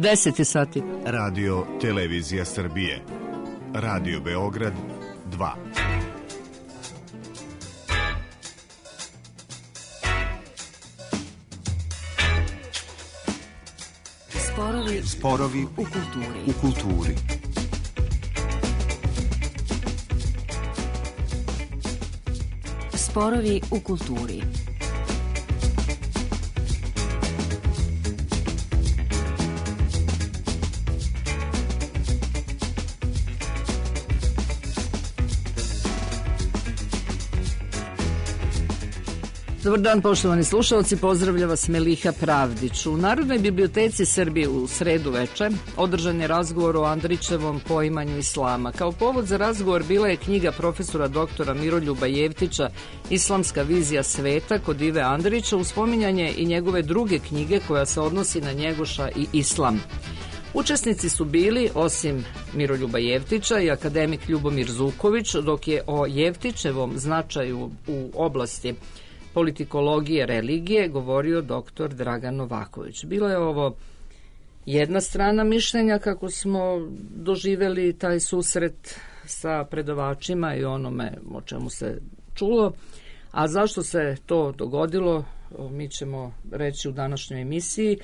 10 sati. Radio Televizija Srbije. Radio Beograd 2. Sporovi u kulturi. Sporovi u kulturi. Dobar dan, poštovani slušalci, pozdravlja vas Meliha Pravdić. U Narodnoj biblioteci Srbije u sredu veče održan je razgovor o Andrićevom poimanju islama. Kao povod za razgovor bila je knjiga profesora doktora Miroljuba Jevtića Islamska vizija sveta kod Ive Andrića, uz spominjanje i njegove druge knjige koja se odnosi na Njegoša i islam. Učesnici su bili, osim Miroljuba Jevtića, i akademik Ljubomir Zuković, dok je o Jevtićevom značaju u oblasti politikologije, religije govorio doktor Dragan Novaković. Bilo je ovo jedna strana mišljenja kako smo doživeli taj susret sa predavačima i onome o čemu se čulo, a zašto se to dogodilo mi ćemo reći u današnjoj emisiji.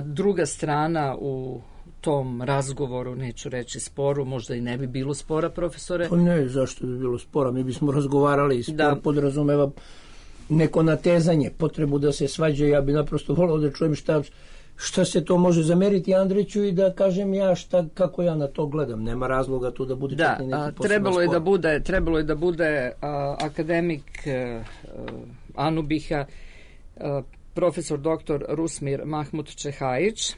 Druga strana u tom razgovoru, neću reći sporu, možda i ne bi bilo spora, profesore. Pa ne, zašto bi bilo spora, mi bismo razgovarali i spor podrazumeva neko natezanje, potrebu da se svađa. Ja bi naprosto volao da čujem šta se to može zameriti Andriću i da kažem ja kako ja na to gledam. Nema razloga tu da bude čak ni neki poseban spor. Trebalo je da bude akademik Anubiha, profesor doktor Rusmir Mahmut Čehajić,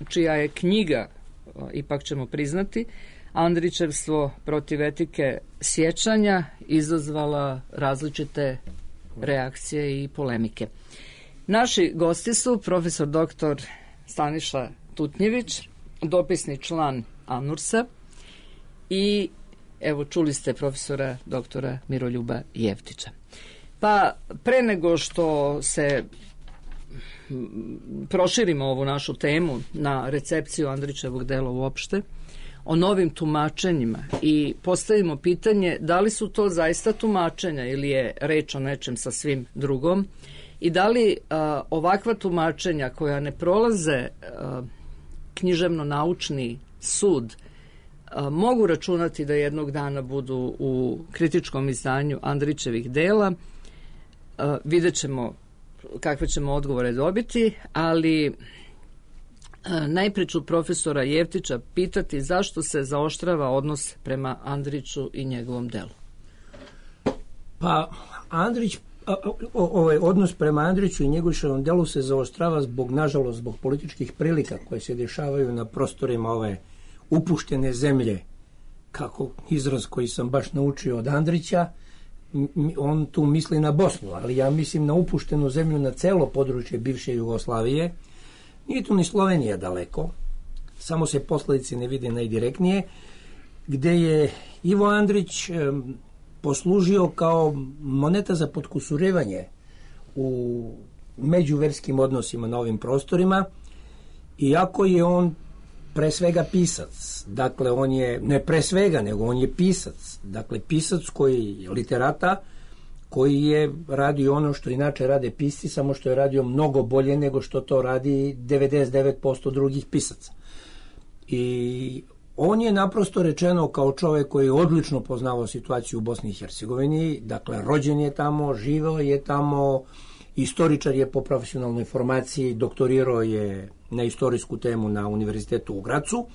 čija je knjiga, ipak ćemo priznati, Andrićevstvo protiv etike sjećanja, izazvala različite reakcije i polemike. Naši gosti su profesor doktor Staniša Tutnjević, dopisni član ANURS-a, i evo čuli ste profesora doktora Miroljuba Jevtića. Pa pre nego što se proširimo ovu našu temu na recepciju Andrićevog dela uopšte, o novim tumačenjima, i postavimo pitanje da li su to zaista tumačenja ili je reč o nečem sasvim drugom, i da li ovakva tumačenja koja ne prolaze književno-naučni sud mogu računati da jednog dana budu u kritičkom izdanju Andrićevih dela. Vidjet ćemo kakve ćemo odgovore dobiti, ali najpre ću profesora Jevtića pitati zašto se zaoštrava odnos prema Andriću i njegovom delu. Pa Andrić, ovaj odnos prema Andriću i njegovom delu se zaoštrava nažalost zbog političkih prilika koje se dešavaju na prostorima ove upuštene zemlje, kako izraz koji sam baš naučio od Andrića. On tu misli na Bosnu, ali ja mislim na upuštenu zemlju, na celo područje bivše Jugoslavije. Nije tu ni Slovenija daleko, samo se posledice ne vide najdirektnije, gde je Ivo Andrić poslužio kao moneta za potkusurivanje u međuverskim odnosima na ovim prostorima, iako je on pre svega pisac. Dakle, on je, ne pre svega, nego on je pisac. Dakle, pisac koji literata, koji je radio ono što inače rade pisci, samo što je radio mnogo bolje nego što to radi 99% drugih pisaca. I on je naprosto rečeno kao čovjek koji je odlično poznavao situaciju u Bosni i Hercegovini, dakle rođen je tamo, živeo je tamo, istoričar je po profesionalnoj formaciji, doktorirao je na istorijsku temu na Univerzitetu u Gracu.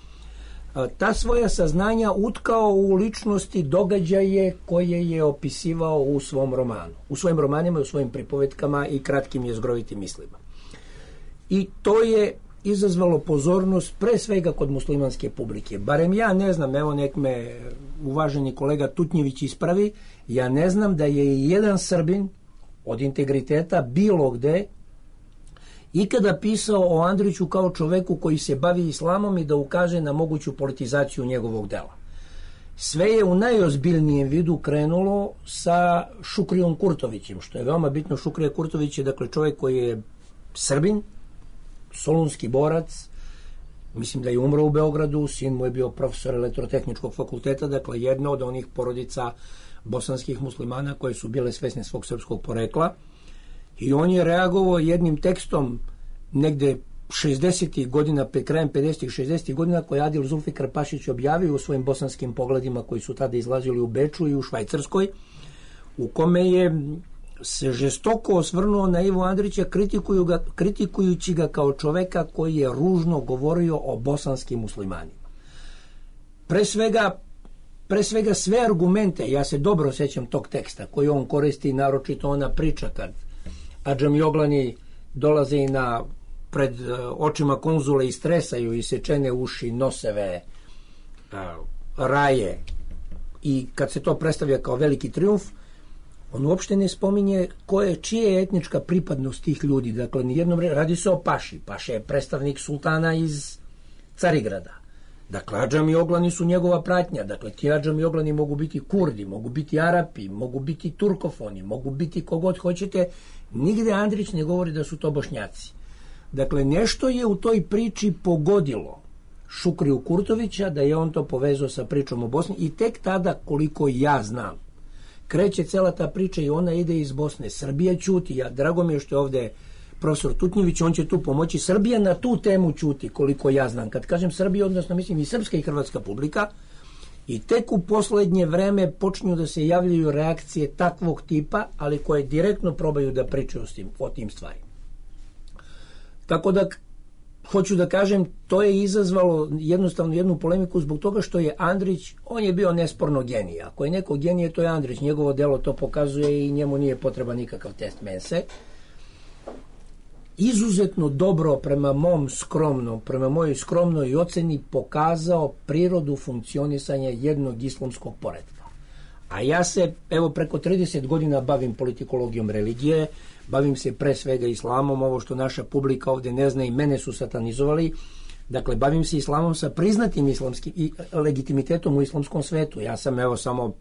Ta svoja saznanja utkao u ličnosti, događaje koje je opisivao u svom romanu. U svojim romanima, u svojim pripovetkama i kratkim jezgrovitim mislima. I to je izazvalo pozornost pre svega kod muslimanske publike. Barem ja ne znam, evo nek me uvaženi kolega Tutnjević ispravi, ja ne znam da je i jedan Srbin od integriteta bilo gde ikada pisao o Andriću kao čoveku koji se bavi islamom i da ukaže na moguću politizaciju njegovog dela. Sve je u najozbiljnijem vidu krenulo sa Šukrijom Kurtovićem, što je veoma bitno. Šukrija Kurtović je dakle čovjek koji je Srbin, solunski borac, mislim da je umro u Beogradu, sin mu je bio profesor elektrotehničkog fakulteta, dakle jedna od onih porodica bosanskih muslimana koje su bile svesne svog srpskog porekla, i on je reagovao jednim tekstom negde 60. godina, krajem 50. 60. godina, koji Adil Zulfikar Pašić objavio u svojim bosanskim pogledima koji su tada izlazili u Beču i u Švajcarskoj, u kome je se žestoko osvrnuo na Ivu Andrića, kritikujući ga kao čoveka koji je ružno govorio o bosanskim muslimanima. Pre svega sve argumente, ja se dobro sećam tog teksta koji on koristi, naročito ona priča kad adžamioglani dolaze i pred očima konzule i stresaju i sečene uši, noseve, raje, i kad se to predstavlja kao veliki trijumf, on uopšte ne spominje čija je etnička pripadnost tih ljudi. Dakle, nijednom radi se o Paši. Paša je predstavnik sultana iz Carigrada. Dakle, adžamioglani su njegova pratnja. Dakle, ti adžamioglani mogu biti Kurdi, mogu biti Arapi, mogu biti Turkofoni, mogu biti kogod hoćete. Nigde Andrić ne govori da su to Bošnjaci. Dakle, nešto je u toj priči pogodilo Šukriju Kurtovića, da je on to povezao sa pričom o Bosni, i tek tada, koliko ja znam, kreće cela ta priča i ona ide iz Bosne. Srbija ćuti. Drago mi je što je ovde profesor Tutnjević, on će tu pomoći. Srbija na tu temu ćuti, koliko ja znam. Kad kažem Srbija, odnosno mislim i srpska i hrvatska publika, i tek u poslednje vreme počinju da se javljaju reakcije takvog tipa, ali koje direktno probaju da pričaju o tim stvarima. Tako da, hoću da kažem, to je izazvalo jednostavno jednu polemiku zbog toga što je Andrić, on je bio nesporno genij. Ako je neko genije, to je Andrić. Njegovo delo to pokazuje i njemu nije potreban nikakav test mense. Izuzetno dobro prema mojoj skromnoj oceni pokazao prirodu funkcionisanja jednog islamskog poretka. A ja se, evo, preko 30 godina bavim politikologijom religije, bavim se pre svega islamom, ovo što naša publika ovde ne zna, i mene su satanizovali. Dakle, bavim se islamom sa priznatim islamskim i legitimitetom u islamskom svetu. Ja sam, evo, samo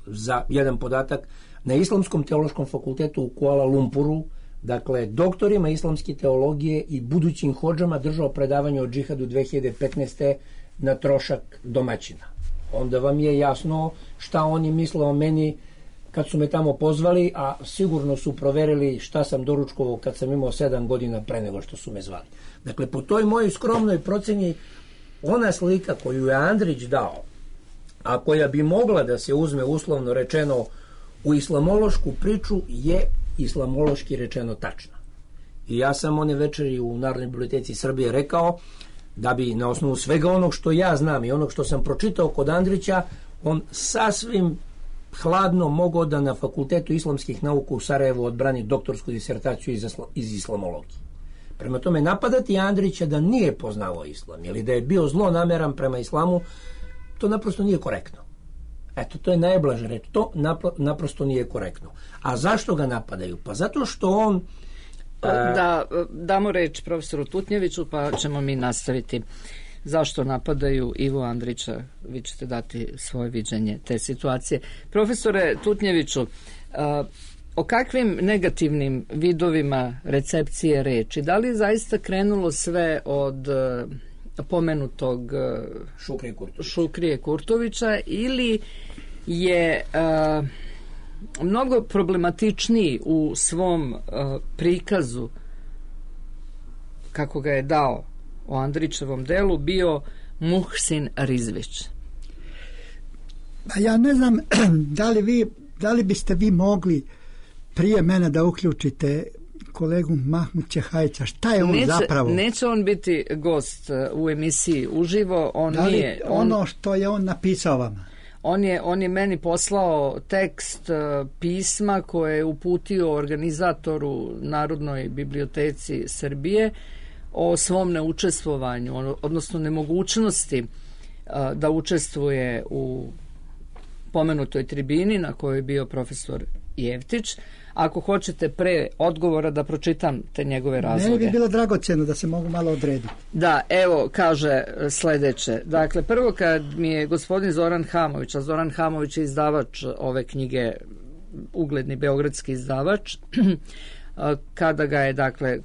za jedan podatak, na Islamskom teološkom fakultetu u Kuala Lumpuru, dakle, doktorima islamske teologije i budućim hodžama držao predavanje o džihadu 2015. na trošak domaćina. Onda vam je jasno šta oni misle o meni kad su me tamo pozvali, a sigurno su proverili šta sam doručkovao kad sam imao 7 godina pre nego što su me zvali. Dakle, po toj mojoj skromnoj proceni, ona slika koju je Andrić dao, a koja bi mogla da se uzme uslovno rečeno u islamološku priču, je islamološki rečeno tačna. I ja sam one večeri u Narodnoj biblioteci Srbije rekao da bi na osnovu svega onog što ja znam i onog što sam pročitao kod Andrića, on sasvim hladno mogao da na Fakultetu islamskih nauka u Sarajevu odbrani doktorsku disertaciju iz islamologije. Prema tome, napadati Andrića da nije poznavao islam ili da je bio zlonameran prema islamu, to naprosto nije korektno. Eto, to je najblaže reč. To naprosto nije korektno. A zašto ga napadaju? Pa zato što on... Da damo reč profesoru Tutnjeviću, pa ćemo mi nastaviti. Zašto napadaju Ivu Andrića? Vi ćete dati svoje viđenje te situacije. Profesore Tutnjeviću, o kakvim negativnim vidovima recepcije reči? Da li je zaista krenulo sve od pomenutog Šukrije Kurtovića ili je mnogo problematičniji u svom prikazu, kako ga je dao o Andrićevom delu, bio Muhsin Rizvić? Ja ne znam da li biste vi mogli prije mene da uključite kolegu Mahmud Čehajića. Šta je on zapravo? Neće on biti gost u emisiji uživo. Ono što je on napisao vama? On je meni poslao tekst pisma koje je uputio organizatoru Narodnoj biblioteci Srbije o svom neučestvovanju, odnosno nemogućnosti da učestvuje u pomenutoj tribini na kojoj je bio profesor Jevtić. Ako hoćete pre odgovora da pročitam te njegove razloge. Meni bi bilo dragoceno da se mogu malo odrediti. Da, evo, kaže sledeće. Dakle, prvo kad mi je gospodin Zoran Hamović, a Zoran Hamović je izdavač ove knjige, ugledni beogradski izdavač, Kada ga je, dakle,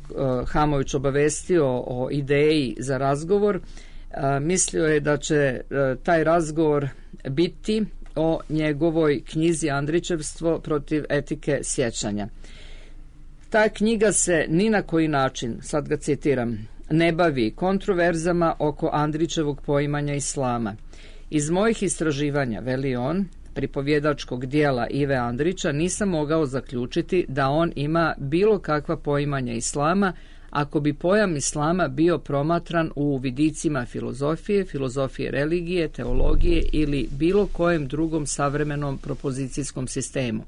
Hamović obavestio o ideji za razgovor, mislio je da će taj razgovor biti o njegovoj knjizi Andrićevstvo protiv etike sjećanja. Ta knjiga se ni na koji način, sad ga citiram, ne bavi kontroverzama oko Andrićevog poimanja islama. Iz mojih istraživanja, veli on, pripovjedačkog dijela Ive Andrića, nisam mogao zaključiti da on ima bilo kakva poimanja islama, ako bi pojam islama bio promatran u vidicima filozofije religije, teologije ili bilo kojem drugom savremenom propozicijskom sistemu.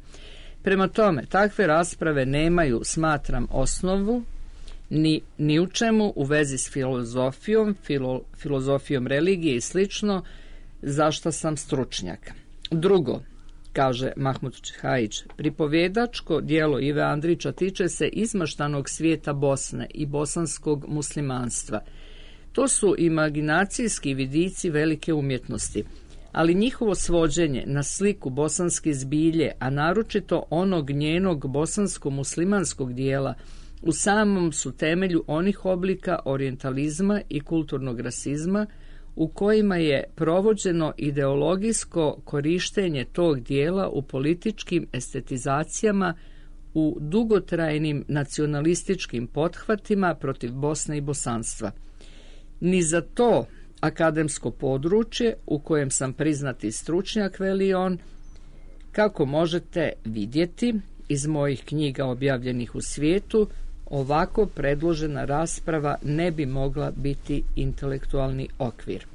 Prema tome, takve rasprave nemaju, smatram, osnovu ni u čemu u vezi s filozofijom religije i slično, za što sam stručnjak. Drugo, kaže Mahmud Čehajić, pripovjedačko dijelo Ive Andrića tiče se izmaštanog svijeta Bosne i bosanskog muslimanstva. To su imaginacijski vidici velike umjetnosti, ali njihovo svođenje na sliku bosanske zbilje, a naročito onog njenog bosansko-muslimanskog dijela, u samom su temelju onih oblika orijentalizma i kulturnog rasizma u kojima je provođeno ideologijsko korištenje tog dijela u političkim estetizacijama, u dugotrajnim nacionalističkim pothvatima protiv Bosne i bosanstva. Ni za to akademsko područje u kojem sam priznati stručnjak, veli on, kako možete vidjeti iz mojih knjiga objavljenih u svijetu, ovako predložena rasprava ne bi mogla biti intelektualni okvir.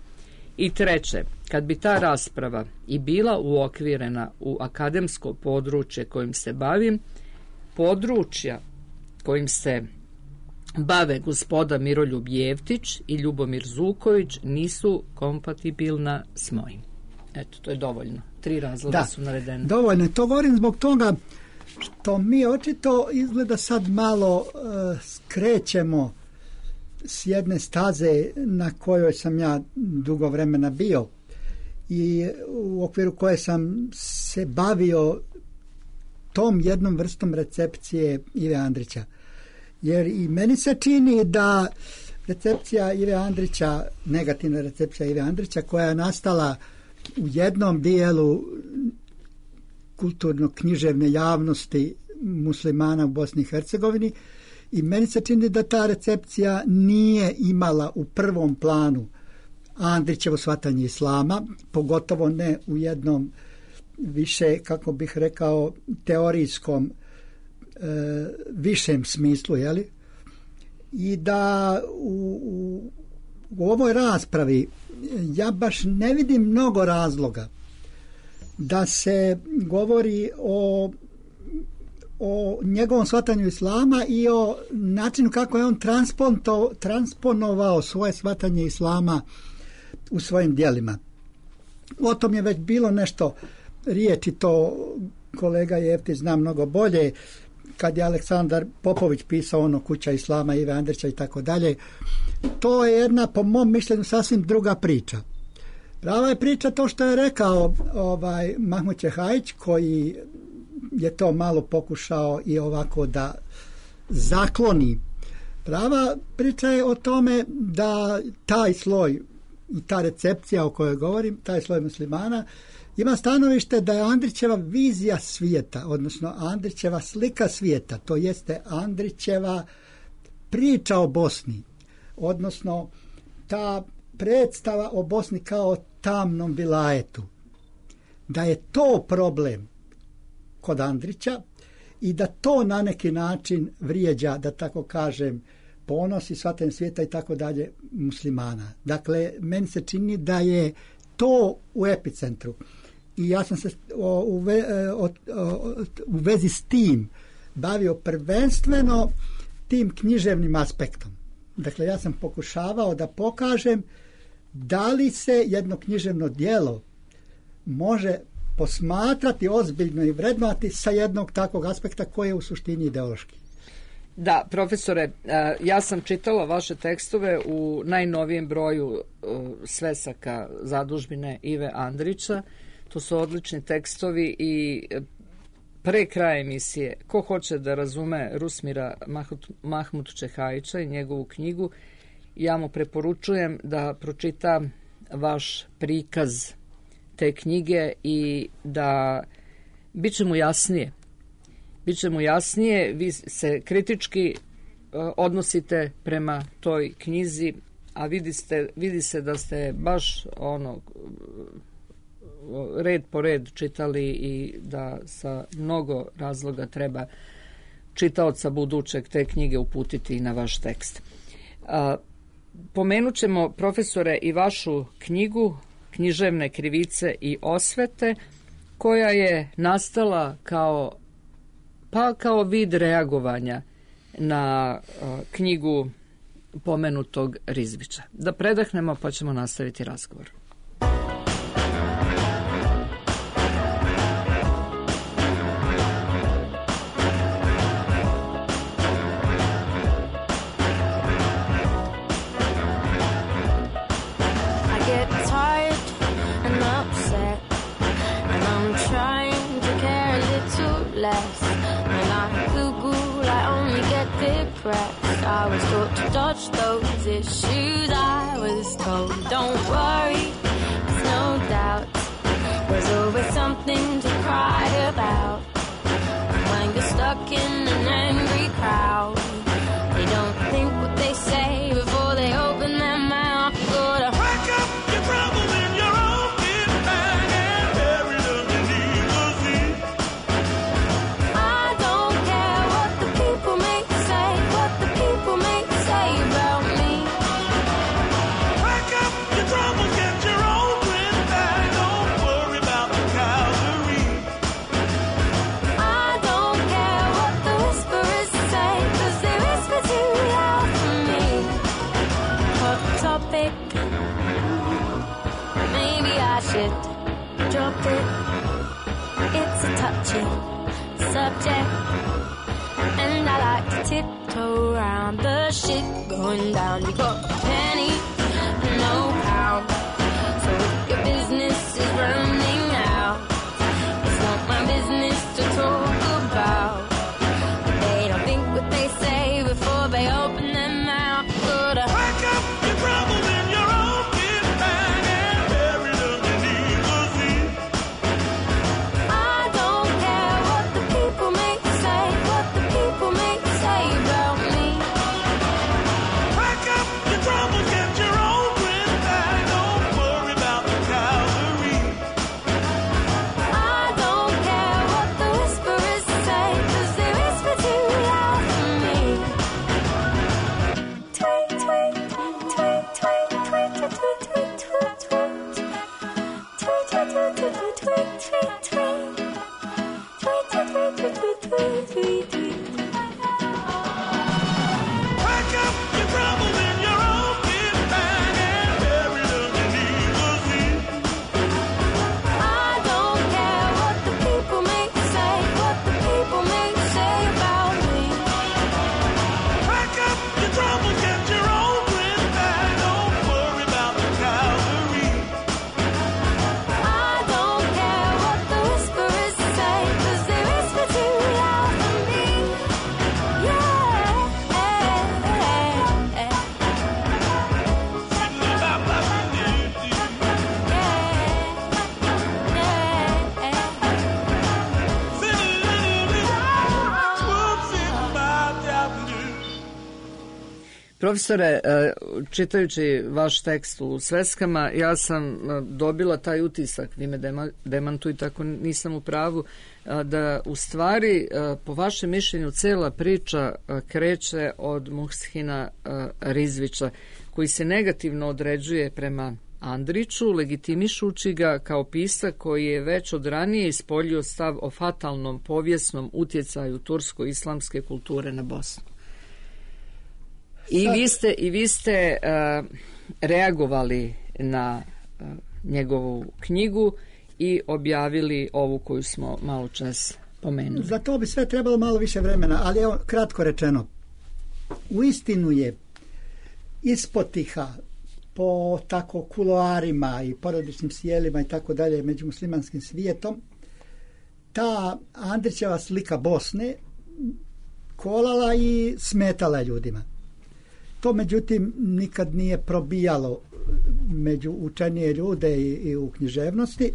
I treće, kad bi ta rasprava i bila uokvirena u akademsko područje kojim se bavim, područja kojim se bave gospoda Miroljub Jevtić i Ljubomir Zuković nisu kompatibilna s mojim. Eto, to je dovoljno. 3 razloga su navedene. Dovoljno. To govorim zbog toga što mi očito izgleda sad malo skrećemo s jedne staze na kojoj sam ja dugo vremena bio i u okviru koje sam se bavio tom jednom vrstom recepcije Ive Andrića. Jer i meni se čini da recepcija Ive Andrića, negativna recepcija Ive Andrića, koja je nastala u jednom dijelu kulturno-književne javnosti muslimana u Bosni i Hercegovini, i meni se čini da ta recepcija nije imala u prvom planu Andrićevo shvatanje islama, pogotovo ne u jednom više, kako bih rekao, teorijskom višem smislu, jeli? I da u ovoj raspravi ja baš ne vidim mnogo razloga da se govori o njegovom shvatanju islama i o načinu kako je on transponovao svoje shvatanje islama u svojim djelima. O tom je već bilo nešto riječi, to kolega Jeftić zna mnogo bolje, kad je Aleksandar Popović pisao ono Kuća islama Ive Andrića i tako dalje. To je jedna, po mom mišljenju, sasvim druga priča. Prava je priča to što je rekao Mahmud Čehajić, koji je to malo pokušao i ovako da zakloni. Prava priča je o tome da taj sloj i ta recepcija o kojoj govorim, taj sloj muslimana, ima stanovište da je Andrićeva vizija svijeta, odnosno Andrićeva slika svijeta, to jeste Andrićeva priča o Bosni, odnosno ta predstava o Bosni kao tamnom vilajetu, da je to problem kod Andrića i da to na neki način vrijeđa, da tako kažem, ponos i shvatanje svijeta i tako dalje muslimana. Dakle, meni se čini da je to u epicentru. I ja sam se u vezi s tim bavio prvenstveno tim književnim aspektom. Dakle, ja sam pokušavao da pokažem da li se jedno književno djelo može posmatrati ozbiljno i vrednovati sa jednog takvog aspekta koji je u suštini ideološki. Da, profesore, ja sam čitala vaše tekstove u najnovijem broju svesaka zadužbine Ive Andrića. To su odlični tekstovi i pre kraja emisije, ko hoće da razume Rusmira Mahmut Čehajića i njegovu knjigu, ja mu preporučujem da pročita vaš prikaz te knjige i da biće mu jasnije. Biće mu jasnije, vi se kritički odnosite prema toj knjizi, a vidi se da ste baš red po red čitali i da sa mnogo razloga treba čitaoca budućeg te knjige uputiti na vaš tekst. Pomenut ćemo, profesore, i vašu knjigu Književne krivice i osvete, koja je nastala kao vid reagovanja na knjigu pomenutog Rizvića. Da predahnemo pa ćemo nastaviti razgovor. I was taught to dodge those issues. I was told, don't worry, there's no doubt. There's always something to cry about. When you're stuck in an angry crowd, they don't think what they say before they open their mouth. Gotta pack up your troubles in your own kit bag and bury them beneath the sea. I don't care what the people may say, what the people may say about me. Pack up your troubles, get your own grip bag, don't worry about the cavalry. I don't care what the whisperers say, 'cause they whisper too loud for me. Hot topic, maybe I should drop it. It's a touchy subject, and I like to tiptoe around the shit going down. You got a penny, no pound. So if your business is running out, it's not my business to talk about. They don't think what they say before they open their mouth. Gotta pack up your troubles in your own kit bag and bury them beneath the sea. I don't care what the people may say, what the people may say about me. Pack up your troubles, get your own grip bag, don't worry about the cavalry. I don't care what the whisperers say, 'cause they whisper too loud for me. Tweet, tweet, tweet, tweet, tweet, tweet, tweet, tweet, tweet, tweet. Tweet, tweet, tweet, tweet, tweet, tweet, tweet, tweet. Tweet, tweet, tweet, tweet, tweet, tweet, tweet, tweet. Pack up your troubles in your own kit bag and bury them beneath the sea. I don't care what the people may say, what the people may say about me. Pack up your troubles, get your own grip bag, don't worry about the cavalry. I don't care what the whisperers say, 'cause they whisper too loud for me. Profesore, čitajući vaš tekst u sveskama, ja sam dobila taj utisak, vi me demantujte ako nisam u pravu, da u stvari, po vašem mišljenju, cela priča kreće od Muhsina Rizvića, koji se negativno određuje prema Andriću, legitimišući ga kao pisac koji je već od ranije ispoljio stav o fatalnom povijesnom utjecaju tursko-islamske kulture na Bosnu. I vi ste reagovali na njegovu knjigu i objavili ovu koju smo malo čas pomenuli. Za to bi sve trebalo malo više vremena, ali evo, kratko rečeno, uistinu je ispotiha po tako kuloarima i porodičnim sjelima i tako dalje među muslimanskim svijetom ta Andrićeva slika Bosne kolala i smetala ljudima. To međutim nikad nije probijalo među učenije ljude i u književnosti,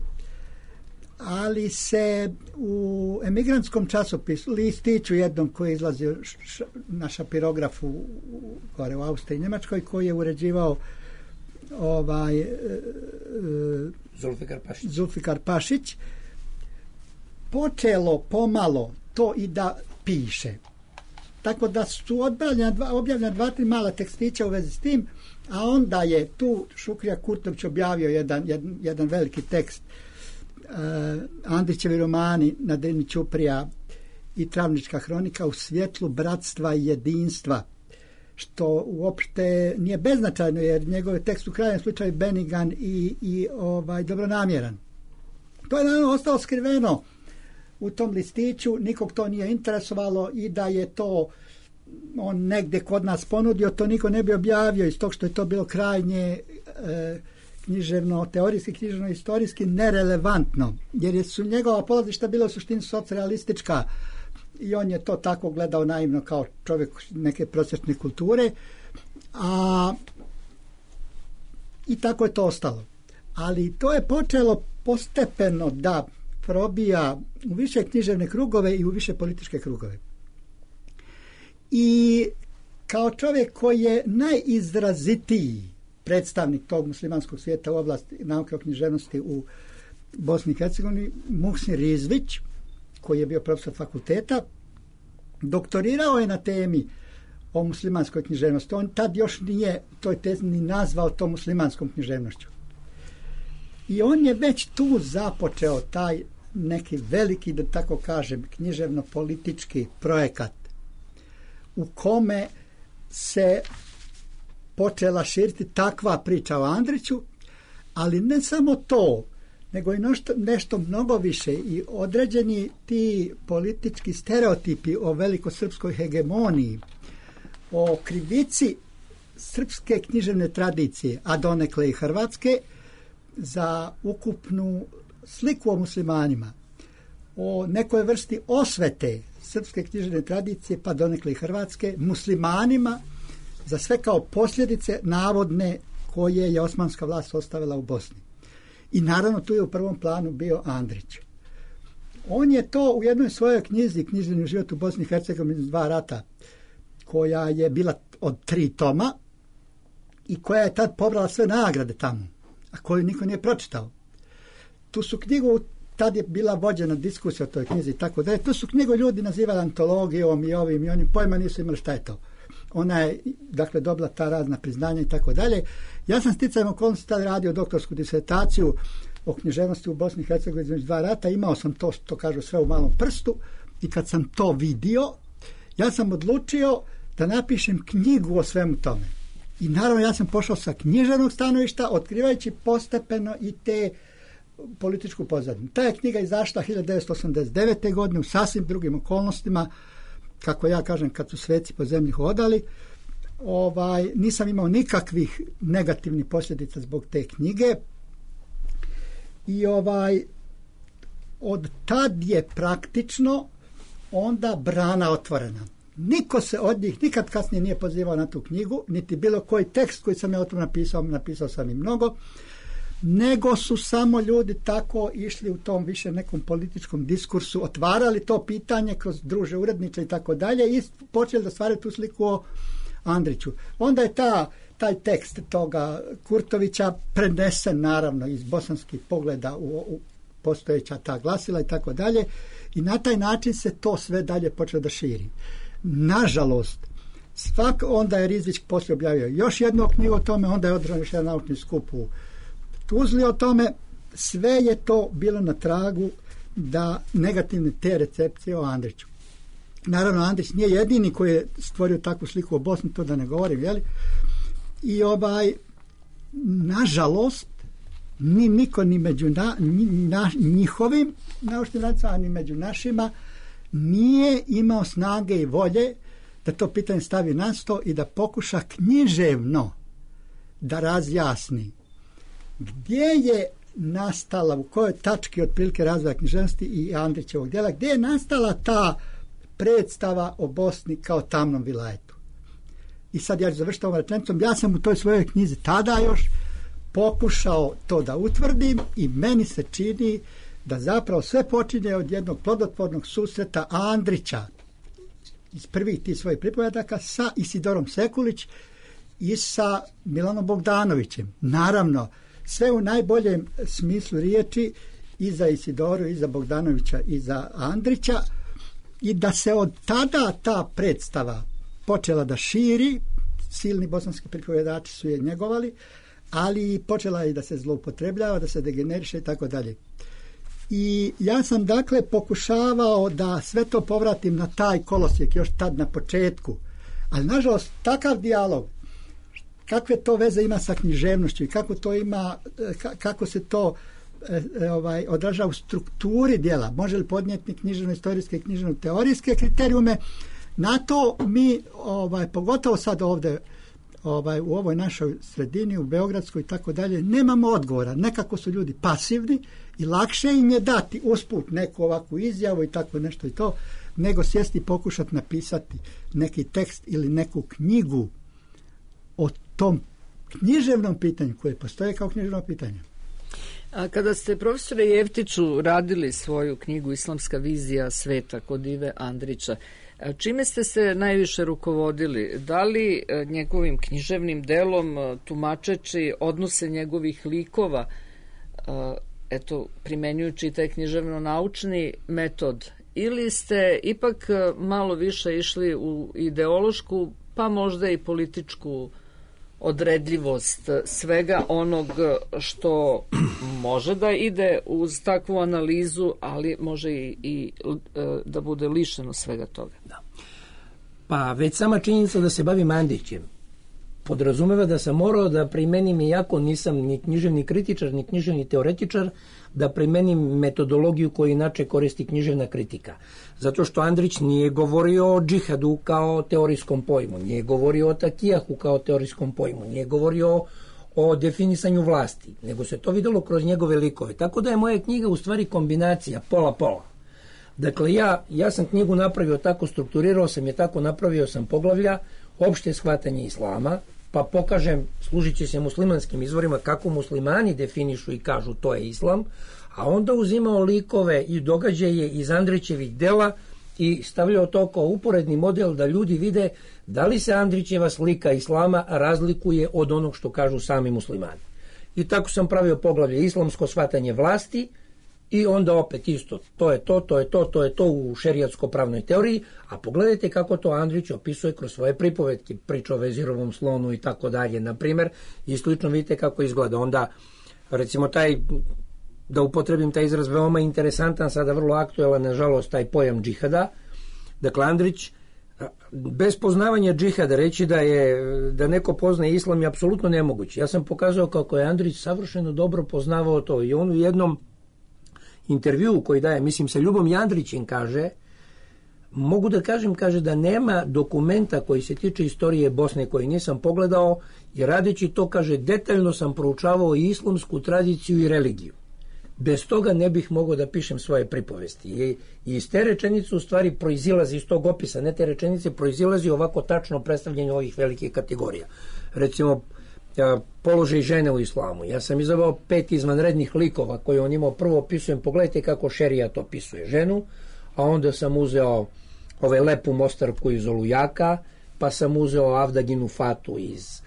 ali se u emigrantskom časopisu, listiću jednom koji je izlazio na šapirografu gore u Austriji i Njemačkoj, koji je uređivao Zulfikar Pašić, počelo pomalo to i da piše. Tako da su objavljena 2-3 mala tekstića u vezi s tim, a onda je tu Šukrija Kurtović objavio jedan veliki tekst, Andrićevi romani Na Drini Ćuprija i Travnička hronika u svjetlu bratstva i jedinstva, što uopšte nije beznačajno, jer njegov tekst u krajnjem slučaju benigan i dobronamjeran. To je naravno ostalo skriveno u tom listiću, nikog to nije interesovalo, i da je to on negde kod nas ponudio, to niko ne bi objavio, iz tog što je to bilo krajnje književno-teorijski, književno-istorijski nerelevantno, jer su njegova polazišta bila u suštini socrealistička i on je to tako gledao naivno kao čovjek neke prosječne kulture, i tako je to ostalo. Ali to je počelo postepeno da probija u više književne krugove i u više političke krugove. I kao čovjek koji je najizrazitiji predstavnik tog muslimanskog svijeta u oblasti nauke o književnosti u Bosni i Hercegovini, Muhsin Rizvić, koji je bio profesor fakulteta, doktorirao je na temi o muslimanskoj književnosti. On tad još nije toj tezi ni nazvao to muslimanskom književnošću. I on je već tu započeo taj neki veliki, da tako kažem, književno-politički projekat u kome se počela širiti takva priča o Andriću, ali ne samo to, nego i nešto mnogo više, i određeni ti politički stereotipi o velikosrpskoj hegemoniji, o krivici srpske književne tradicije, a donekle i hrvatske, za ukupnu sliku o muslimanima, o nekoj vrsti osvete srpske književne tradicije, pa donekle i hrvatske, muslimanima, za sve kao posljedice navodne koje je osmanska vlast ostavila u Bosni. I naravno tu je u prvom planu bio Andrić. On je to u jednoj svojoj knjizi, Književni život u Bosni i Hercegovini 2 rata, koja je bila od 3 toma i koja je tad pobrala sve nagrade tamo, a koju niko nije pročitao. Tu su knjigu, tad je bila vođena diskusija o toj knjizi, tako da je, tu su knjigu ljudi nazivali antologijom i ovim i onim, pojma nisu imali šta je to. Ona je, dakle, dobila ta razna priznanja i tako dalje. Ja sam sticajem okolnosti tad radio doktorsku disertaciju o književnosti u Bosni i Hercegovini između 2 rata, imao sam to, što kažu, sve u malom prstu, i kad sam to vidio, ja sam odlučio da napišem knjigu o svemu tome. I naravno ja sam pošao sa književnog stanovišta, otkrivajući postepeno i te političku pozadinu. Ta je knjiga izašla 1989. godine u sasvim drugim okolnostima, kako ja kažem, kad su sveci po zemlji hodali. Nisam imao nikakvih negativnih posljedica zbog te knjige. I od tad je praktično onda brana otvorena. Niko se od njih nikad kasnije nije pozivao na tu knjigu, niti bilo koji tekst koji sam ja o tom napisao sam i mnogo, nego su samo ljudi tako išli u tom više nekom političkom diskursu, otvarali to pitanje kroz druže uredniče i tako dalje i počeli da stvaraju tu sliku o Andriću. Onda je taj tekst toga Kurtovića prenesen naravno iz bosanskih pogleda u postojeća ta glasila i tako dalje, i na taj način se to sve dalje počelo da širi. Nažalost, onda je Rizvić poslije objavio još jednu knjigu o tome, onda je održan još jedan naučni skup u Tuzli o tome. Sve je to bilo na tragu da negativne te recepcije o Andriću. Naravno, Andrić nije jedini koji je stvorio takvu sliku o Bosni, to da ne govorim, jeli? I nažalost, ni niko ni među njihovim naučnim radnicima, ni među našima nije imao snage i volje da to pitanje stavi na sto i da pokuša književno da razjasni gdje je nastala, u kojoj tački otprilike razvoja književnosti i Andrićevog djela, gdje je nastala ta predstava o Bosni kao tamnom vilajetu. I sad ja ću završiti ovom rečenicom. Ja sam u toj svojoj knjizi tada još pokušao to da utvrdim i meni se čini da zapravo sve počinje od jednog plodotvornog susreta Andrića iz prvih tih svojih pripovedaka sa Isidorom Sekulić i sa Milanom Bogdanovićem. Naravno, sve u najboljem smislu riječi i za Isidoru, i za Bogdanovića, i za Andrića, i da se od tada ta predstava počela da širi, silni bosanski pripovedači su je njegovali, ali počela i da se zloupotrebljava, da se degeneriše i tako dalje. I ja sam dakle pokušavao da sve to povratim na taj kolosijek još tad na početku, ali nažalost takav dijalog, kakve to veze ima sa književnošću i kako to ima, kako se to odražava u strukturi djela, može li podnijeti književno-istorijske i književno-teorijske kriterijume, na to mi pogotovo sad ovdje u ovoj našoj sredini, u Beogradskoj i tako dalje, nemamo odgovora. Nekako su ljudi pasivni i lakše im je dati usput neku ovakvu izjavu i tako nešto i to, nego sjesti i pokušati napisati neki tekst ili neku knjigu o tom književnom pitanju koje postoje kao književno pitanje. A kada ste, profesore Jeftiću, radili svoju knjigu Islamska vizija sveta kod Ive Andrića, čime ste se najviše rukovodili? Da li njegovim književnim delom, tumačeći odnose njegovih likova, primenjujući taj književno-naučni metod, ili ste ipak malo više išli u ideološku, pa možda i političku odredljivost svega onog što može da ide uz takvu analizu, ali može i da bude lišeno svega toga? Da. Pa već sama činjenica da se bavim Andrićem podrazumeva da sam morao da primenim, iako nisam ni književni kritičar, ni književni teoretičar, da primenim metodologiju koju inače koristi književna kritika. Zato što Andrić nije govorio o džihadu kao teorijskom pojmu, nije govorio o takijahu kao teorijskom pojmu, nije govorio o definisanju vlasti, nego se to videlo kroz njegove likove. Tako da je moja knjiga u stvari kombinacija pola-pola. Dakle, ja sam knjigu napravio tako, strukturirao sam je tako, napravio sam poglavlja, opšte shvatanje islama, pa pokažem, služit će se muslimanskim izvorima, kako muslimani definišu i kažu to je islam, a onda uzimao likove i događaje iz Andrićevih dela i stavljao to kao uporedni model da ljudi vide da li se Andrićeva slika islama razlikuje od onog što kažu sami muslimani. I tako sam pravio poglavlje islamsko shvatanje vlasti i onda opet isto, to je to u šerijatsko-pravnoj teoriji, a pogledajte kako to Andrić opisuje kroz svoje pripovetke, priča o vezirovom slonu i tako dalje, na primjer, i slično vidite kako izgleda. Onda, recimo, da upotrebim taj izraz veoma interesantan, sada vrlo aktuelan, nažalost, taj pojam džihada. Dakle, Andrić, bez poznavanja džihada, reći da neko poznaje islam je apsolutno nemoguće. Ja sam pokazao kako je Andrić savršeno dobro poznavao to i on u jednom intervju koji daje, mislim, sa Ljubom Jandrićem kaže, mogu da kažem, kaže da nema dokumenta koji se tiče istorije Bosne koji nisam pogledao i radeći to, kaže, detaljno sam proučavao i islamsku tradiciju i religiju. Bez toga ne bih mogao da pišem svoje pripovesti. I iz te rečenice u stvari proizilazi, iz tog opisa, ne te rečenice, proizilazi ovako tačno predstavljanje ovih velikih kategorija. Recimo, položaj žene u islamu. Ja sam izabrao 5 izvanrednih likova koje on imao. Prvo opisujem, pogledajte kako šerijat opisuje ženu, a onda sam uzeo lepu mostarku iz Olujaka, pa sam uzeo Avdaginu Fatu iz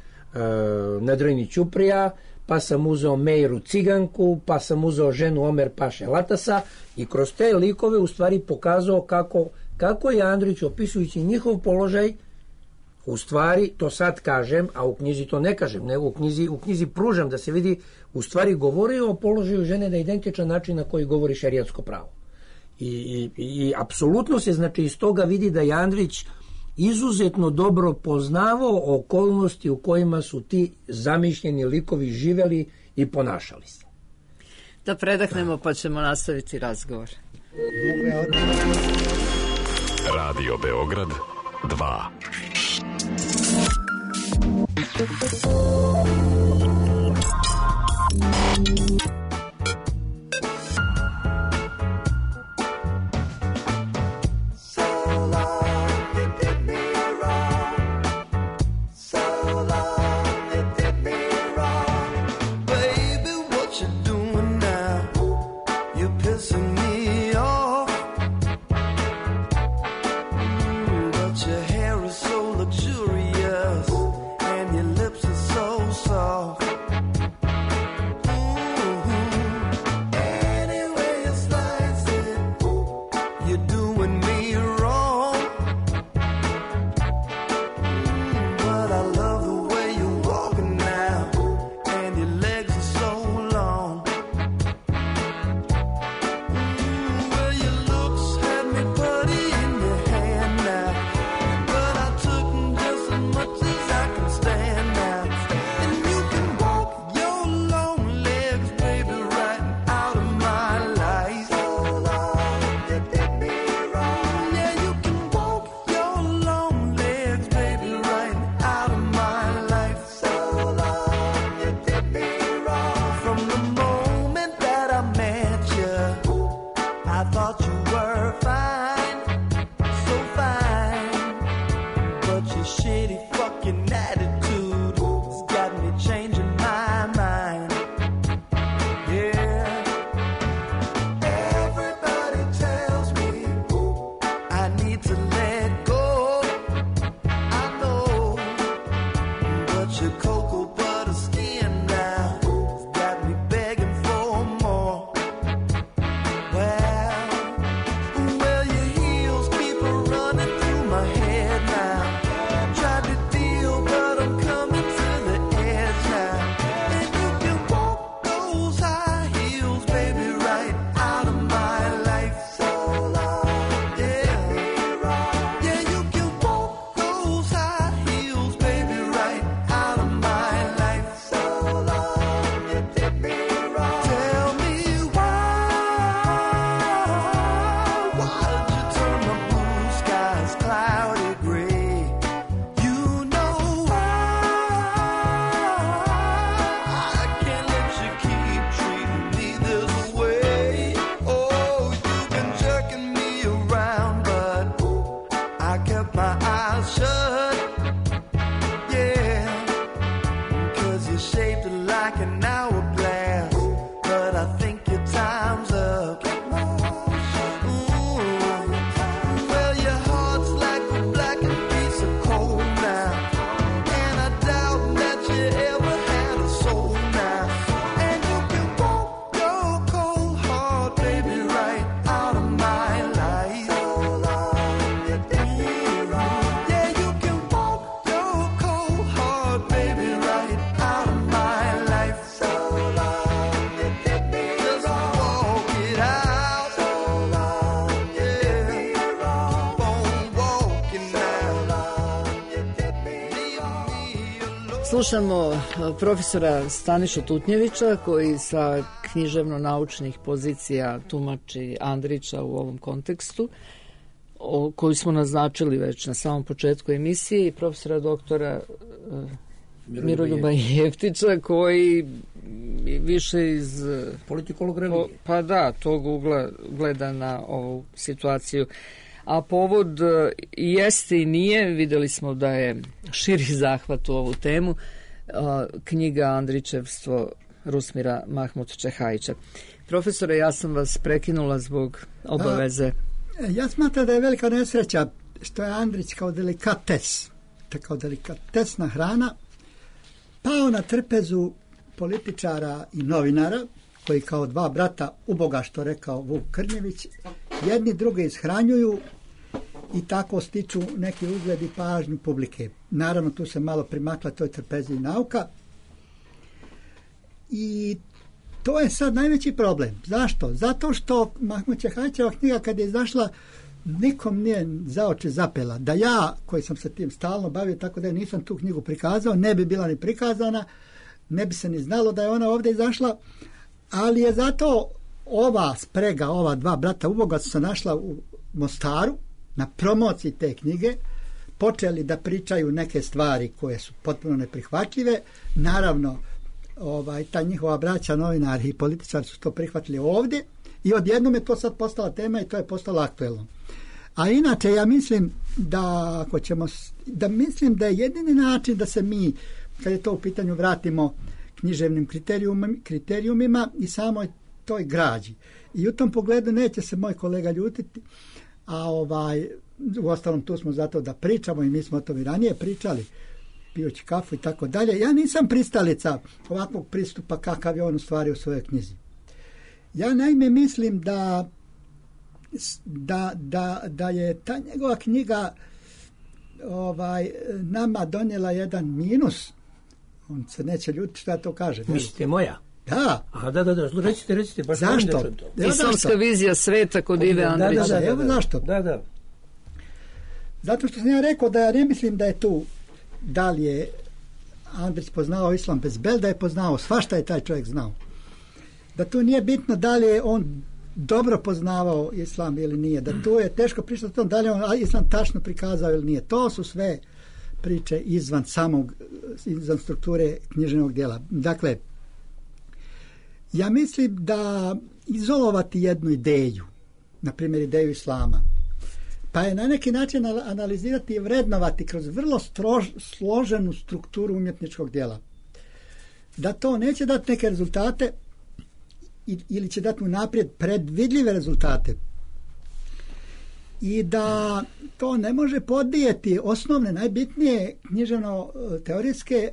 Nedrojni Ćuprija, pa sam uzeo Mejru Ciganku, pa sam uzeo ženu Omer Paše Latasa i kroz te likove u stvari pokazao kako je Andrić, opisujući njihov položaj, u stvari, to sad kažem, a u knjizi to ne kažem, nego u knjizi pružam da se vidi, u stvari govorio o položaju žene na identičan način na koji govori šerijatsko pravo. I apsolutno se, znači, iz toga vidi da je Andrić izuzetno dobro poznavao okolnosti u kojima su ti zamišljeni likovi živeli i ponašali se. Da predahnemo pa ćemo nastaviti razgovor. Radio Beograd 2. Slušamo profesora Stanišu Tutnjevića koji sa književno-naučnih pozicija tumači Andrića u ovom kontekstu, koju smo naznačili već na samom početku emisije, i profesora doktora Miroljuba Jeftića koji više iz politikolog religije. Pa da, tog ugla gleda na ovu situaciju. A povod jeste i nije, videli smo da je širi zahvat u ovu temu, knjiga Andrićevstvo Rusmira Mahmut Čehajića. Profesore, ja sam vas prekinula zbog obaveze. Ja smatram da je velika nesreća što je Andrić kao delikates, kao delikatesna hrana, pao na trpezu političara i novinara, koji kao dva brata uboga, što rekao Vuk Krnjević, jedni druge ishranjuju i tako stiču neki ugled i pažnju publike. Naravno, tu se malo primakla toj trpezi nauka. I to je sad najveći problem. Zašto? Zato što Mahmut Čehajićeva knjiga kad je izašla, nikom nije za oči zapela. Da ja, koji sam se tim stalno bavio, tako da nisam tu knjigu prikazao, ne bi bila ni prikazana, ne bi se ni znalo da je ona ovdje izašla, ali je zato ova sprega, ova dva brata uboga su se našla u Mostaru na promociji te knjige, počeli da pričaju neke stvari koje su potpuno neprihvatljive. Naravno, ta njihova braća, novinari i političari su to prihvatili ovdje i odjednom je to sad postala tema i to je postalo aktuelno. A inače, ja mislim da mislim da je jedini način da se mi, kad je to u pitanju, vratimo književnim kriterijumima i samoj toj građi. I u tom pogledu neće se moj kolega ljutiti, a uostalom tu smo zato da pričamo i mi smo o tom i ranije pričali, pijući kafu i tako dalje. Ja nisam pristalica ovakvog pristupa kakav je on u stvari u svojoj knjizi. Ja naime mislim da je ta njegova knjiga nama donijela jedan minus. On se neće ljutiti što ja to kažem. Mislite moja? Da. A da, recite. Baš zašto? Islamska vizija sveta kod Ive Andrića. Evo zašto. Da. Zato što sam ja rekao da ja ne mislim da je tu, da li je Andrić poznao islam bez bel, da je poznao svašta je taj čovjek znao. Da tu nije bitno da li je on dobro poznavao islam ili nije, da tu je teško pričati o tom da li je on islam tačno prikazao ili nije. To su sve priče izvan strukture književnog djela. Dakle, ja mislim da izolovati jednu ideju, na primjer ideju islama, pa je na neki način analizirati i vrednovati kroz vrlo složenu strukturu umjetničkog djela, da to neće dati neke rezultate ili će dati unaprijed predvidljive rezultate i da to ne može podnijeti osnovne, najbitnije književno-teorijske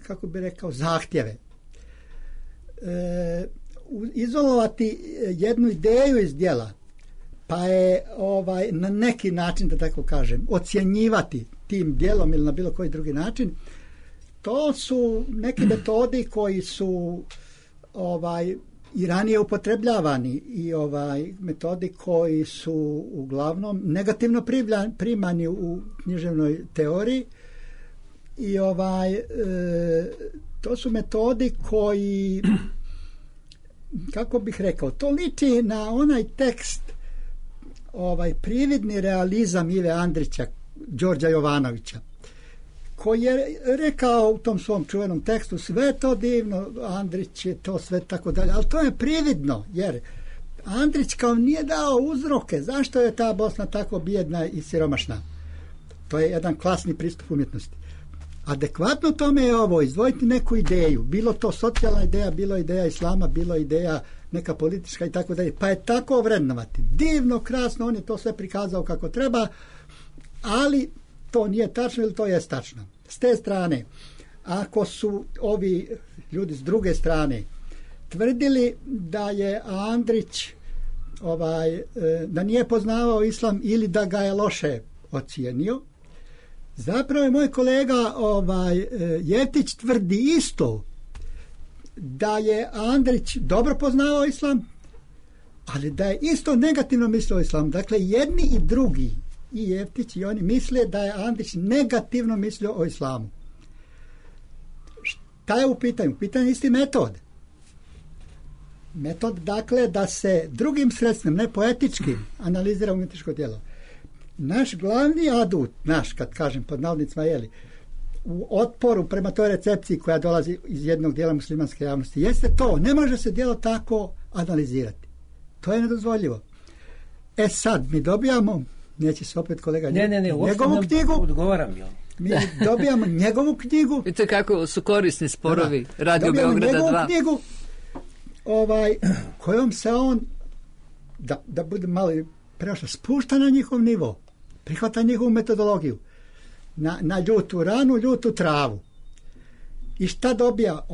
kako bi rekao, zahtjeve. Izolovati jednu ideju iz djela, pa je na neki način, da tako kažem, ocjenjivati tim djelom ili na bilo koji drugi način, to su neki metodi koji su i ranije upotrebljavani i metodi koji su uglavnom negativno primani u književnoj teoriji i to su metodi koji, kako bih rekao, to liči na onaj tekst, prividni realizam Ive Andrića, Đorđa Jovanovića, koji je rekao u tom svom čuvenom tekstu sve to divno, Andrić je to sve tako dalje, ali to je prividno, jer Andrić kao nije dao uzroke zašto je ta Bosna tako bijedna i siromašna. To je jedan klasni pristup umjetnosti. Adekvatno tome je izdvojiti neku ideju, bilo to socijalna ideja, bilo ideja islama, bilo ideja neka politička i tako dalje, pa je tako vrednovati. Divno, krasno, on je to sve prikazao kako treba, ali to nije tačno ili to je tačno. S te strane, ako su ovi ljudi s druge strane tvrdili da je Andrić da nije poznavao islam ili da ga je loše ocijenio, zapravo je moj kolega Jeftić tvrdi isto, da je Andrić dobro poznavao islam, ali da je isto negativno mislio o islamu. Dakle, jedni i drugi, i Jeftić i oni, misle da je Andrić negativno mislio o islamu. Šta je u pitanju? Pitanje je isti metod. Metod, dakle, da se drugim sredstvima, ne poetičkim, analizira umjetničko djelo. Naš glavni adut, kad kažem pod navodnicima, u otporu prema toj recepciji koja dolazi iz jednog dijela muslimanske javnosti, jeste to, ne može se djelo tako analizirati. To je nedozvoljivo. Sad mi dobijamo, neće se opet kolega njegovu knjigu, odgovaram joj. Mi dobijamo njegovu knjigu. Vidite kako su korisni sporovi Radio Beograda 2. Dobijamo njegovu knjigu kojom se on, da bude malo prešao, spušta na njihov nivo, prihvata njihovu metodologiju, na ljutu ranu, ljutu travu. I šta dobija?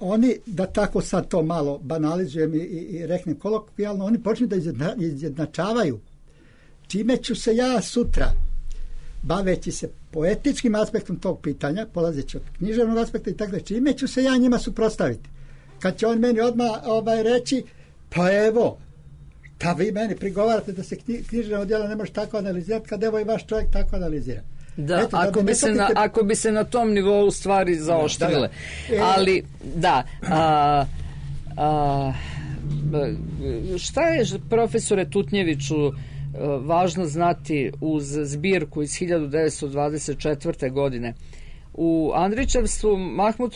Oni, da tako sad to malo banalizujem i reknem kolokvijalno, oni počnu da izjednačavaju čime ću se ja sutra, baveći se poetičkim aspektom tog pitanja, polazeći od književnog aspekta i tako da, čime ću se ja njima suprotstaviti. Kad će on meni odmah reći, pa evo, šta vi meni prigovarate da se književno djelo ne može tako analizirati, kad evo i vaš čovjek tako analizira. Da, eto, ako bi se na tom nivou stvari zaoštrile. Ali, šta je, profesore Tutnjeviću, važno znati uz zbirku iz 1924. godine? U Andrićevstvu Mahmud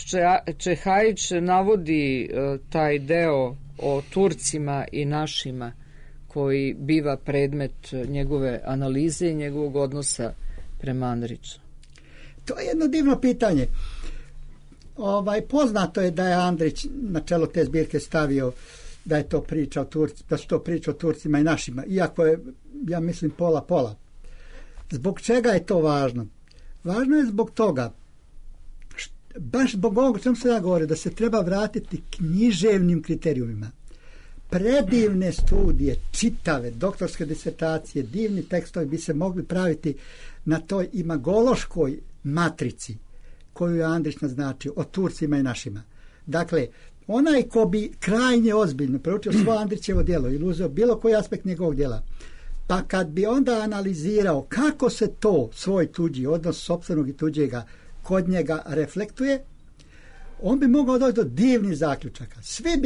Čehajić navodi taj deo o Turcima i našima koji biva predmet njegove analize i njegovog odnosa prema Andriću. To je jedno divno pitanje. Poznato je da je Andrić na čelo te zbirke stavio da je to priča o Turcima, da su to priča o Turcima i našima, iako je, ja mislim, pola. Zbog čega je to važno? Važno je zbog toga, baš zbog ovog čemu se ja govorio, da se treba vratiti književnim kriterijumima. Predivne studije, čitave, doktorske disertacije, divni tekstovi bi se mogli praviti na toj imagološkoj matrici koju je Andrić naznačio o Turcima i našima. Dakle, onaj ko bi krajnje ozbiljno proučio svoje Andrićevo djelo ili uzeo bilo koji aspekt njegovog djela, pa kad bi onda analizirao kako se to svoj tuđi odnos sopstvenog i tuđega kod njega reflektuje, on bi mogao doći do divnih zaključaka. Svi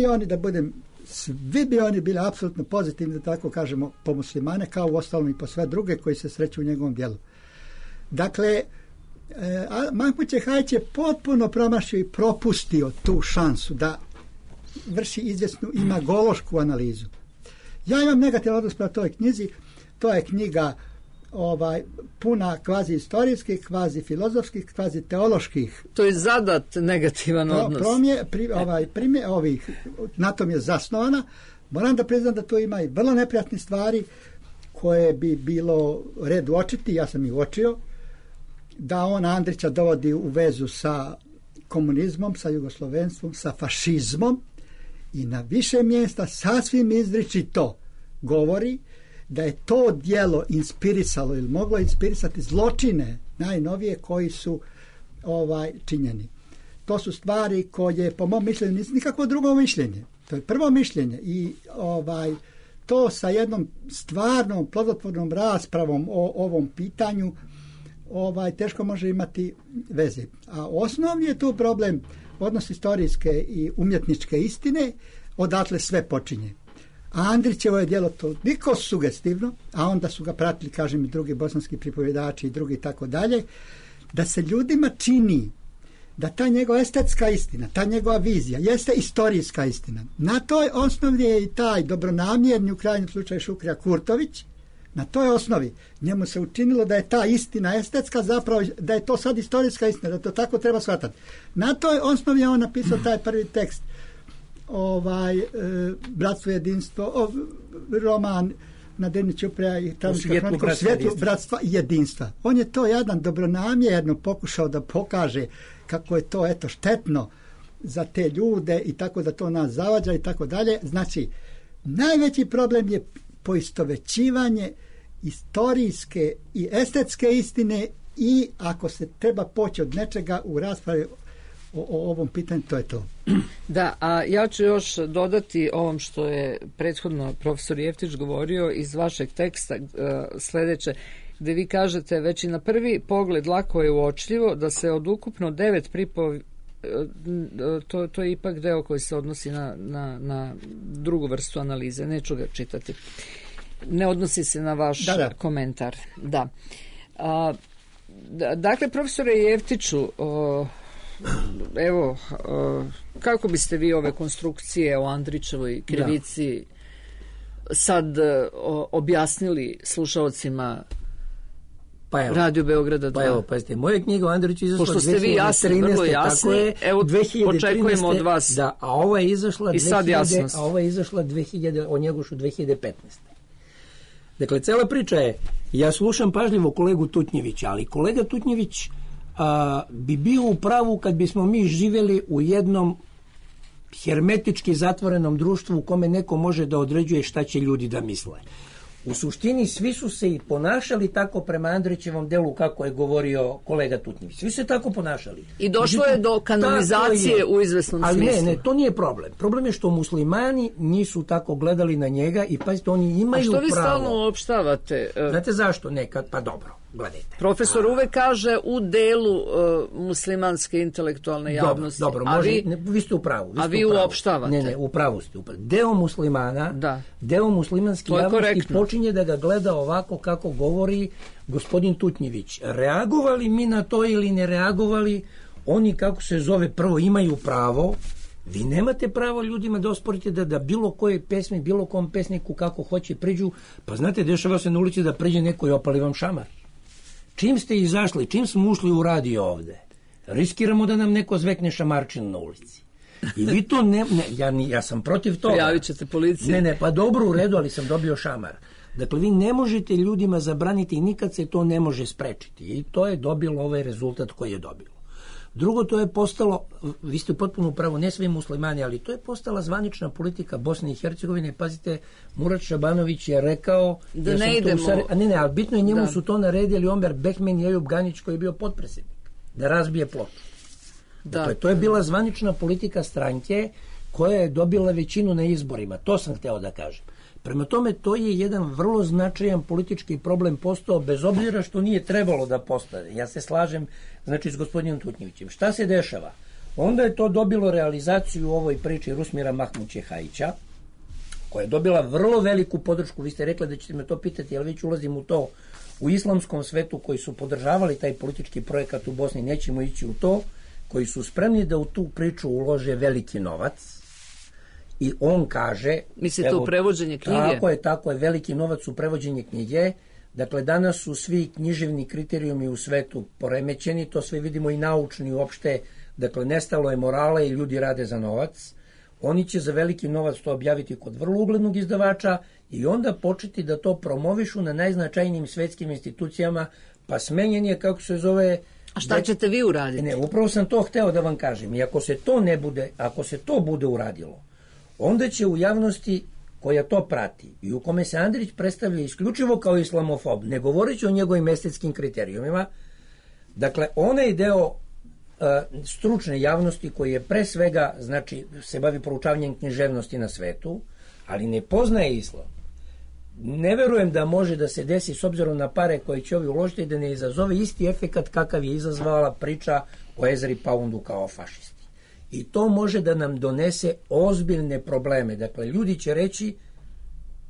bi oni bili apsolutno pozitivni, da tako kažemo, po muslimane, kao u ostalom i po sve druge koji se sreću u njegovom djelu. Dakle, Mahmud Čehajić je potpuno promašio i propustio tu šansu da vrši izvjesnu imagološku analizu. Ja imam negativan odnos prema toj knjizi. To je knjiga puna kvazi istorijskih, kvazi filozofskih, kvazi teoloških. To je zadat negativan odnos. Na tom je zasnovana. Moram da priznam da to ima i vrlo neprijatne stvari koje bi bilo red uočiti, ja sam ih uočio, da on Andrića dovodi u vezu sa komunizmom, sa jugoslovenstvom, sa fašizmom i na više mjesta sasvim izričito govori da je to djelo inspirisalo ili moglo inspirisati zločine najnovije koji su činjeni. To su stvari koje po mom mišljenju nisu nikakvo drugo mišljenje. To je prvo mišljenje i to sa jednom stvarnom plodotvornom raspravom o ovom pitanju teško može imati veze. A osnovni je tu problem odnos istorijske i umjetničke istine, odatle sve počinje. A Andrićevo je djelo toliko sugestivno, a onda su ga pratili, kažem, i drugi bosanski pripovjedači i drugi tako dalje, da se ljudima čini da ta njegova estetska istina, ta njegova vizija jeste istorijska istina. Na toj osnovi je i taj dobronamjerni, u krajnjem slučaju Šukrija Kurtović, na toj osnovi njemu se učinilo da je ta istina estetska, zapravo da je to sad istorijska istina, da to tako treba shvatati. Na toj osnovi je on napisao taj prvi tekst, Bratstvo jedinstvo, roman na Deni Ćuprija i Svijetlu bratstva i jedinstva. On je to jedan dobronamjerno pokušao da pokaže kako je to štetno za te ljude i tako da to nas zavađa i tako dalje. Znači, najveći problem je poistovećivanje istorijske i estetske istine i ako se treba poći od nečega u raspravi o ovom pitanju, to je to. Da, a ja ću još dodati ovom što je prethodno profesor Jeftić govorio iz vašeg teksta sljedeće, gdje vi kažete već i na prvi pogled lako je uočljivo da se od ukupno 9 to je ipak deo koji se odnosi na drugu vrstu analize, neću ga čitati. Ne odnosi se na vaš komentar. Da. Dakle, profesore Jeftiću, evo, kako biste vi ove konstrukcije o Andrićevoj krivici sad objasnili slušaocima Radio Beograda 2? Pa evo, pazite, moja knjiga o Andriću izašla 2013. Pošto ste vi jasni, vrlo jasni, evo, očekujemo od vas. Da, a ova je izašla i sad jasnost. A ova je izašla o Njegošu 2015. Dakle, cela priča je, ja slušam pažljivo kolegu Tutnjevića, ali kolega Tutnjević bi bio u pravu kad bismo mi živjeli u jednom hermetički zatvorenom društvu u kome neko može da određuje šta će ljudi da misle. U suštini svi su se i ponašali tako prema Andrićevom delu kako je govorio kolega Tutnjević. Svi su se tako ponašali. I došlo je do kanonizacije u izvesnom smislu. Ali ne, to nije problem. Problem je što muslimani nisu tako gledali na njega i pazite, oni imaju pravo. A što vi stalno uopštavate? Znate zašto? Nekad, pa dobro, gledajte. Profesor uvek kaže u delu muslimanske intelektualne javnosti. Dobro, vi ste u pravu. A vi uopštavate. Ne, u pravu ste. Deo muslimana, deo muslimanske javnosti počinje da ga gleda ovako kako govori gospodin Tutnjević. Reagovali mi na to ili ne reagovali, oni, kako se zove, prvo imaju pravo. Vi nemate pravo ljudima da osporite da bilo koje pesmi, bilo kom pesniku kako hoće priđu. Pa znate, dešava se na ulici da priđe neko i opali vam šamar. Čim ste izašli, čim smo ušli u radio ovde, riskiramo da nam neko zvekne šamarčinu na ulici. I vi to ja sam protiv toga. Prijavit ćete policiji. Ne, pa dobro, u redu, ali sam dobio šamar. Dakle, vi ne možete ljudima zabraniti i nikad se to ne može sprečiti. I to je dobilo ovaj rezultat koji je dobilo. Drugo, to je postalo, vi ste potpuno u pravu, ne svi muslimani, ali to je postala zvanična politika Bosne i Hercegovine. Pazite, Murat Šabanović je rekao da ne idemo. Ali bitno je, njemu su to naredili Omer Behmen i Ejub Ganić koji je bio potpredsjednik, da razbije ploču. Dakle, to je bila zvanična politika stranke koja je dobila većinu na izborima. To sam hteo da kažem. Prema tome, to je jedan vrlo značajan politički problem postao, bez obzira što nije trebalo da postane. Ja se slažem, znači, s gospodinom Tutnjevićem. Šta se dešava? Onda je to dobilo realizaciju u ovoj priči Rusmira Mahmućehajića, koja je dobila vrlo veliku podršku. Vi ste rekli da ćete me to pitati, ali već ulazim u to. U islamskom svetu koji su podržavali taj politički projekat u Bosni, nećemo ići u to, koji su spremni da u tu priču ulože veliki novac. I on kaže... Mislite u prevođenje knjige? Tako je, veliki novac u prevođenje knjige. Dakle, danas su svi književni kriterijumi u svetu poremećeni, to sve vidimo i naučni uopšte. Dakle, nestalo je morala i ljudi rade za novac. Oni će za veliki novac to objaviti kod vrlo uglednog izdavača i onda početi da to promovišu na najznačajnijim svetskim institucijama, pa smenjen je, kako se zove... A šta ćete vi uraditi? Ne, upravo sam to hteo da vam kažem. I ako se to bude uradilo, onda će u javnosti koja to prati i u kome se Andrić predstavlja isključivo kao islamofob, ne govoreći o njegovim estetskim kriterijumima, dakle, onaj deo stručne javnosti koji je pre svega, znači, se bavi proučavanjem književnosti na svetu, ali ne poznaje islam, ne verujem da može da se desi, s obzirom na pare koje će ovi uložiti, da ne izazove isti efekat kakav je izazvala priča o Ezri Poundu kao fašisti. I to može da nam donese ozbiljne probleme. Dakle, ljudi će reći,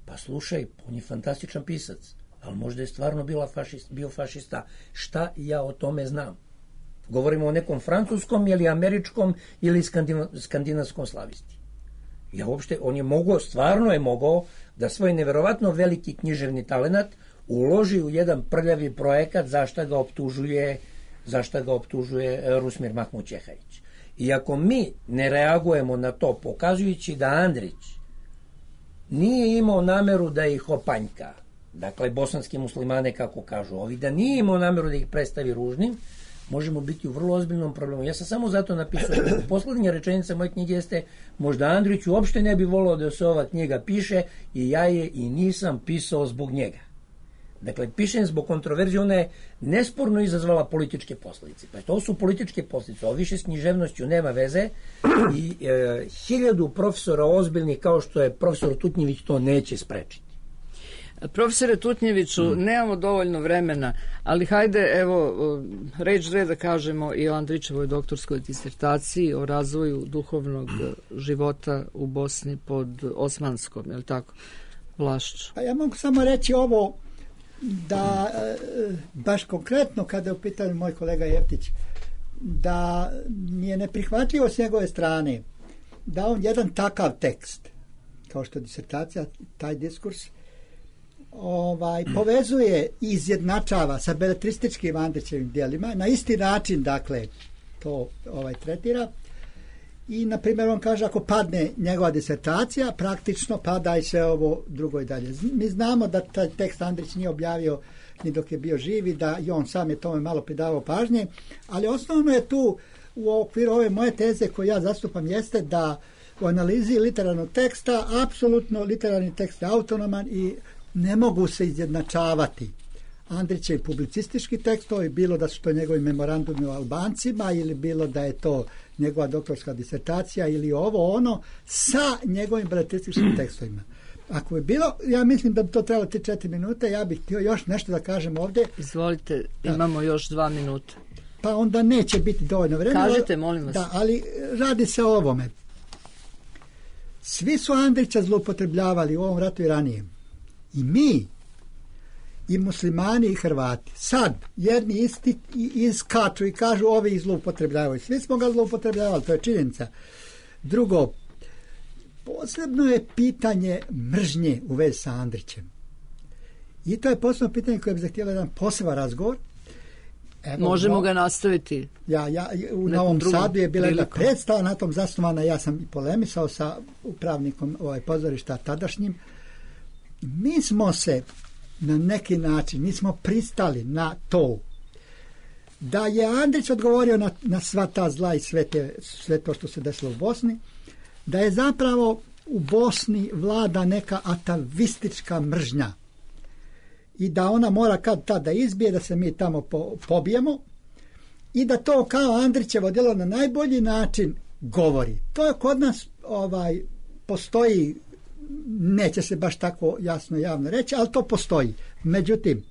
pa slušaj, on je fantastičan pisac, ali možda je stvarno bio fašista. Šta ja o tome znam? Govorimo o nekom francuskom ili američkom ili skandinavskom slavisti. On je mogao, stvarno je mogao da svoj neverovatno veliki književni talenat uloži u jedan prljavi projekat zašta ga optužuje Rusmir Mahmućehajić. I ako mi ne reagujemo na to, pokazujući da Andrić nije imao nameru da ih opanjka, dakle bosanski muslimane kako kažu ovi, da nije imao nameru da ih predstavi ružnim, možemo biti u vrlo ozbiljnom problemu. Ja sam samo zato napisao, poslednja rečenica moje knjige jeste, možda Andrić uopšte ne bi volao da se ova knjiga piše i ja je i nisam pisao zbog njega. Dakle, pišem zbog kontroverzije, ona je nesporno izazvala političke posljedice. Pa to su političke posljedice, ovo više s književnošću nema veze i 1000 profesora ozbiljnih kao što je profesor Tutnjević to neće sprečiti. Profesore Tutnjeviću, nemamo dovoljno vremena, ali hajde, evo, reč da kažemo i o Andrićevoj doktorskoj disertaciji o razvoju duhovnog života u Bosni pod osmanskom, je li tako, vlašću? Pa ja mogu samo reći ovo, da baš konkretno kada je u pitanju moj kolega Jeftić, da mi je neprihvatljivo s njegove strane da on jedan takav tekst, kao što je disertacija, taj diskurs, povezuje i izjednačava sa beletrističkim Andrićevim djelima, na isti način, dakle, to tretira. I, na primjer, on kaže, ako padne njegova disertacija, praktično pada i sve ovo drugo i dalje. Mi znamo da taj tekst Andrić nije objavio ni dok je bio živ i da i on sam je tome malo pridavao pažnje, ali osnovno je tu u okviru ove moje teze koje ja zastupam jeste da u analizi literarnog teksta apsolutno literarni tekst je autonoman i ne mogu se izjednačavati Andrićev publicistički tekstovi, bilo da su to njegovi memorandumi o Albancima ili bilo da je to njegova doktorska disertacija ili ovo ono sa njegovim beletrističkim tekstovima. Ako je bilo, ja mislim da bi to trebalo 3-4 minute, ja bih htio još nešto da kažem ovdje. Izvolite, imamo još 2 minuta. Pa onda neće biti dovoljno vremena. Kažite, molim vas. Da, ali radi se o ovome. Svi su Andrića zloupotrebljavali u ovom ratu i ranije. I mi, i muslimani i Hrvati. Sad, jedni isti iskaču i kažu ovi zloupotrebljavaju. Svi smo ga zloupotrebljavali, to je činjenica. Drugo, posebno je pitanje mržnje u vezi sa Andrićem. I to je posebno pitanje koje bi zahtjelo jedan poseban razgovor. Evo, možemo ga nastaviti. U Novom Sadu je bila jedna predstava na tom zasnovana, ja sam i polemisao sa upravnikom pozorišta tadašnjim. Mi smo se na neki način, mi smo pristali na to da je Andrić odgovorio na sva ta zla i sve to što se desilo u Bosni, da je zapravo u Bosni vlada neka atavistička mržnja i da ona mora kad tada izbije, da se mi tamo pobijemo i da to kao Andrićevo djelo na najbolji način govori. To je kod nas postoji, neće se baš tako jasno javno reći, ali to postoji. Međutim,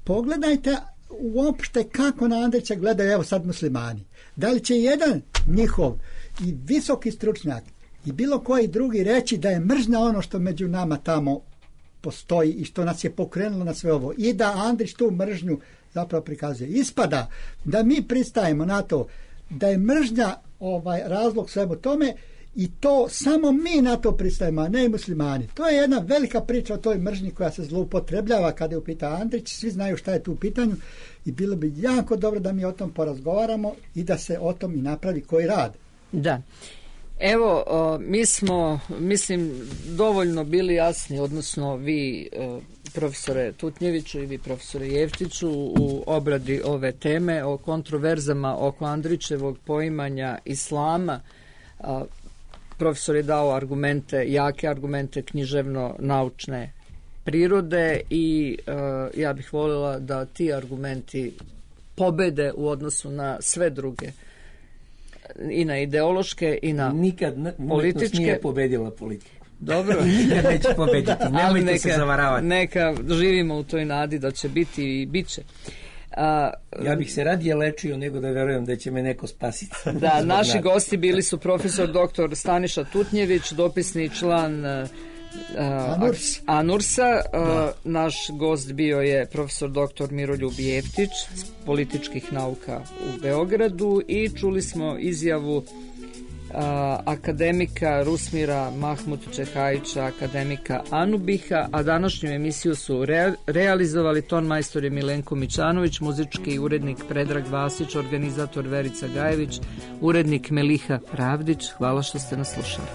pogledajte uopšte kako na Andrića gledaju evo sad muslimani. Da li će jedan njihov i visoki stručnjak i bilo koji drugi reći da je mržnja ono što među nama tamo postoji i što nas je pokrenulo na sve ovo i da Andrić tu mržnju zapravo prikazuje. Ispada da mi pristajemo na to da je mržnja razlog svemu tome i to samo mi na to pristajemo, a ne i muslimani. To je jedna velika priča o toj mržnji koja se zloupotrebljava kada je u pitanju Andrić. Svi znaju šta je tu u pitanju i bilo bi jako dobro da mi o tom porazgovaramo i da se o tom i napravi koji rad. Da. Evo, mi smo, mislim, dovoljno bili jasni, odnosno vi, profesore Tutnjeviću i vi, profesore Jeftiću, u obradi ove teme o kontroverzama oko Andrićevog poimanja islama. Profesor je dao argumente, jake argumente književno-naučne prirode i ja bih voljela da ti argumenti pobede u odnosu na sve druge, i na ideološke i na političke. Nije pobedila politiku. Dobro. Nikad neće pobediti. Nemojte se zavaravati. Neka živimo u toj nadi da će biti i bit će. Ja bih se radije lečio nego da verujem da će me neko spasiti. Da, naši gosti bili su profesor dr. Staniša Tutnjević, dopisni član Anursa. Naš gost bio je profesor dr. Miroljub Jeftić s političkih nauka u Beogradu i čuli smo izjavu akademika Rusmira Mahmut Čehajića, akademika Anubiha, a današnju emisiju su realizovali ton majstor je Milenko Mićanović, muzički urednik Predrag Vasić, organizator Verica Gajević, urednik Meliha Pravdić. Hvala što ste nas slušali.